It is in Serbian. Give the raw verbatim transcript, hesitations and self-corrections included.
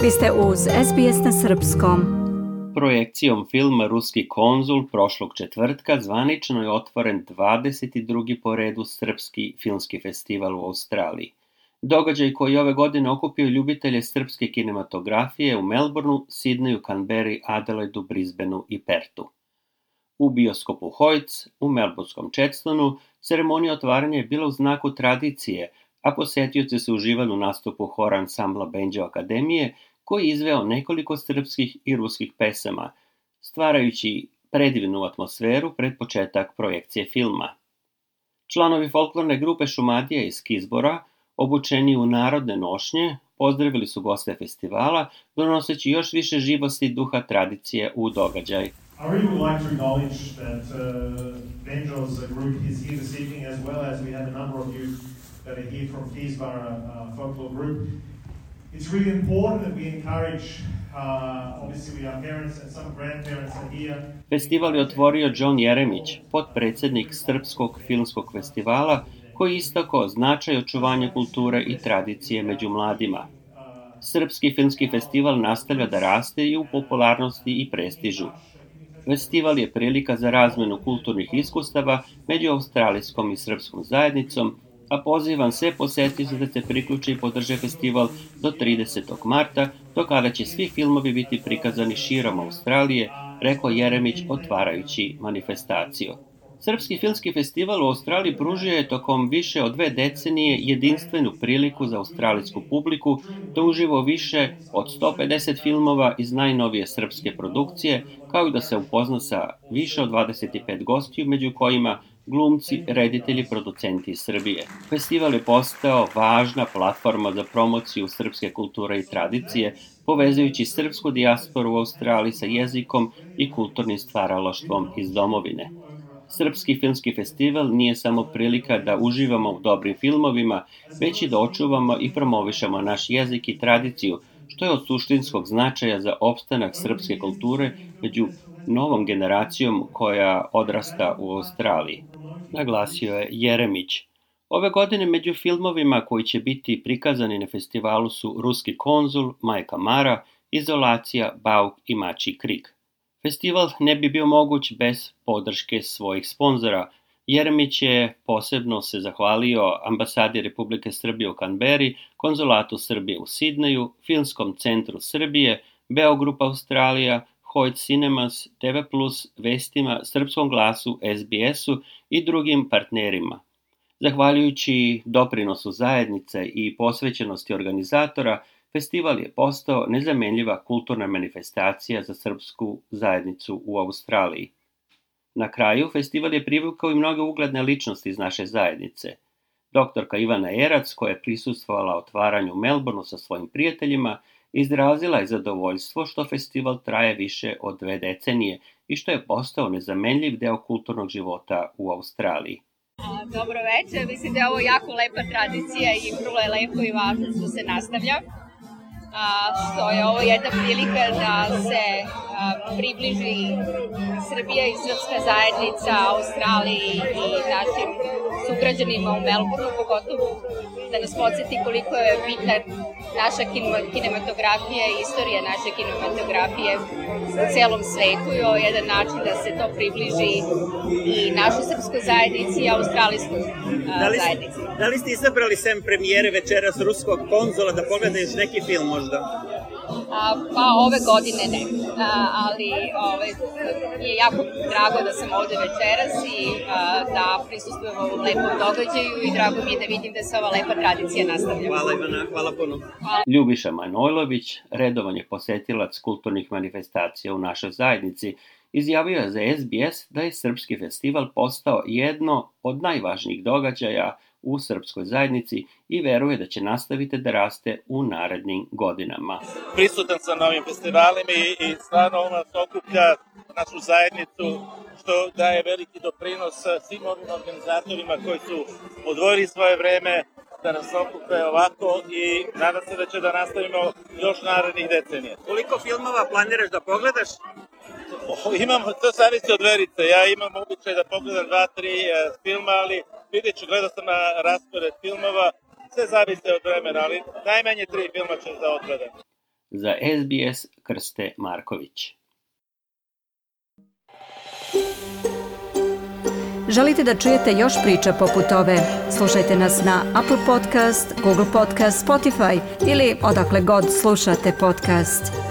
Vi ste uz S B S na srpskom. Projekcijom filma Ruski konzul prošlog četvrtka zvanično je otvoren dvadeset drugi po redu srpski filmski festival u Australiji. Događaj koji ove godine okupio ljubitelje srpske kinematografije u Melbourneu, Sidneju, Canberri, Adelaidu, Brisbaneu i Pertu. U bioskopu Hoyts, u melbournskom Chadstonu, ceremonija otvaranja je bila u znaku tradicije, a posetioci su uživali u nastupu hora ansambla Benđo Akademije, koji je izveo nekoliko srpskih i ruskih pesama, stvarajući predivnu atmosferu pred početak projekcije filma. Članovi folklorne grupe Šumadija iz Kizbora, obučeni u narodne nošnje, pozdravili su goste festivala, donoseći još više živosti i duha tradicije u događaj. I really would like to acknowledge that uh, Benjo's group is here this evening, as well as we have a number of you that are here from Keysborough uh, Folklore Group. It's really important that we encourage, uh, obviously we are parents and some grandparents are here. Festival je otvorio John Jeremić, potpredsjednik Srpskog filmskog festivala, koji istakao značaj očuvanja kulture i tradicije među mladima. Srpski filmski festival nastavlja da raste i u popularnosti i prestižu. Festival je prilika za razmenu kulturnih iskustava među australijskom i srpskom zajednicom, a pozivam sve posetioce da se priključe i podrže festival do tridesetog marta, do kada će svi filmovi biti prikazani širom Australije, rekao Jeremić otvarajući manifestaciju. Srpski filmski festival u Australiji pružio je tokom više od dve decenije jedinstvenu priliku za australijsku publiku da uživo više od sto pedeset filmova iz najnovije srpske produkcije, kao i da se upozna sa više od dvadeset pet gostiju, među kojima glumci, reditelji, producenti iz Srbije. Festival je postao važna platforma za promociju srpske kulture i tradicije, povezujući srpsku dijasporu u Australiji sa jezikom i kulturnim stvaralaštvom iz domovine. Srpski filmski festival nije samo prilika da uživamo u dobrim filmovima, već i da očuvamo i promovišemo naš jezik i tradiciju, što je od suštinskog značaja za opstanak srpske kulture među novom generacijom koja odrasta u Australiji, naglasio je Jeremić. Ove godine među filmovima koji će biti prikazani na festivalu su Ruski konzul, Majka Mara, Izolacija, Bauk i Mačji krik. Festival ne bi bio moguć bez podrške svojih sponzora. Jeremić je posebno se zahvalio ambasadi Republike Srbije u Canberri, konzulatu Srbije u Sidneju, Filmskom centru Srbije, Beogrup Australija, Hoyt Cinemas, T V plus, Vestima, Srpskom glasu, S B S-u i drugim partnerima. Zahvaljujući doprinosu zajednice i posvećenosti organizatora, festival je postao nezamenljiva kulturna manifestacija za srpsku zajednicu u Australiji. Na kraju, festival je privukao i mnoge ugledne ličnosti iz naše zajednice. Doktorka Ivana Erac, koja je prisustvovala otvaranju u Melbourneu sa svojim prijateljima, izrazila je zadovoljstvo što festival traje više od dve decenije i što je postao nezamenljiv deo kulturnog života u Australiji. Dobro večer, mislim da je ovo jako lepa tradicija i vrlo je lepo i važno što se nastavlja. A, što je ovo jedna prilika da se a, približi Srbija i srpska zajednica Australiji i našim sugrađanima u Melbourneu, pogotovo da nas podsjeti koliko je bitna naša kinematografija i istorija naše kinematografije u celom svetu i ovo je jedan način da se to približi i našoj srpskoj zajednici i australijskoj zajednici. Da li ste izabrali sem premijere večeras Ruskog konzula da pogledaju neki film možda? A, pa ove godine ne, a, ali ove, je jako drago da sam ovde večeras i a, da prisustvujem ovom lepom događaju i drago mi je da vidim da se ova lepa tradicija nastavlja. Hvala Ivana, hvala puno. Hvala. Ljubiša Manojlović, redovan je posetilac kulturnih manifestacija u našoj zajednici, izjavio je za S B S da je Srpski festival postao jedno od najvažnijih događaja u srpskoj zajednici i veruje da će nastaviti da raste u narednim godinama. Prisutan sam na ovim festivalima i, i stvarno ono nas okuplja našu zajednicu, što daje veliki doprinos svim ovim organizatorima koji su odvojili svoje vreme da nas okupe ovako i nadam se da će da nastavimo još narednih decenija. Koliko filmova planiraš da pogledaš? O, imam, to zavisi od verice. Ja imam običaj da pogledam dva, tri e, filma, ali vidjet ću, gledao sam na raspored filmova, sve zavisi od vremena, ali najmanje tri filma ću da odgledam. Za S B S Krste Marković. Želite da čujete još priča poput ove? Slušajte nas na Apple Podcast, Google Podcast, Spotify ili odakle god slušate podcast.